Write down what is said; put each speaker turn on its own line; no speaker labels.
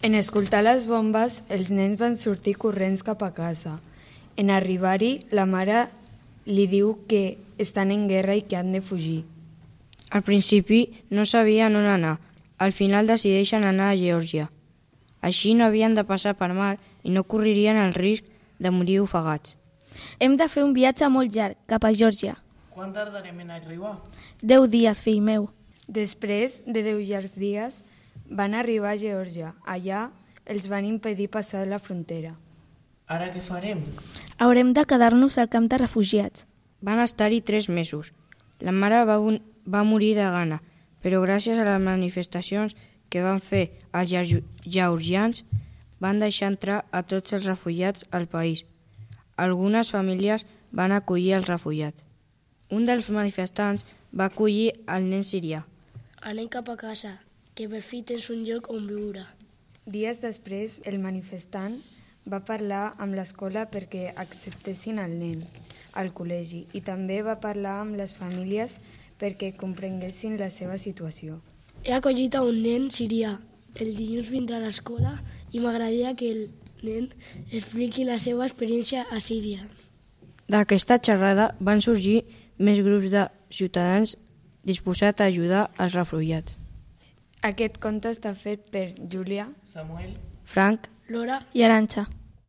En escoltar les bombes, els nens van sortir corrents cap a casa. En arribar-hi, la mare li diu que estan en guerra i que han de fugir.
Al principi no sabien on anar. Al final decideixen anar a Geòrgia. Així no havien de passar per mar i no correrien el risc de morir ofegats.
Hem de fer un viatge molt llarg, cap a Geòrgia.
Quan tardarem en arribar?
10 dies, fill meu.
Després de 10 llargs dies, van arribar a Geòrgia. Allà els van impedir passar la frontera.
Ara què farem?
Haurem de quedar-nos al camp de refugiats.
Van estar-hi 3 mesos. La mare va morir de gana, però gràcies a les manifestacions que van fer els georgians van deixar entrar a tots els refugiats al país. Algunes famílies van acollir els refugiats. Un dels manifestants va acollir el nen sirià.
Anem cap a casa, que per fi tens un lloc on viure.
Dies després, el manifestant va parlar amb l'escola perquè acceptessin el nen al col·legi i també va parlar amb les famílies perquè comprenguessin la seva situació.
He acollit a un nen sirià. El dilluns vindrà a l'escola i m'agradaria que el nen expliqui la seva experiència a Síria.
D'aquesta xerrada van sorgir més grups de ciutadans disposats a ajudar els refugiats.
Aquest conte està fet per Júlia,
Samuel,
Frank
Laura
i Arantxa.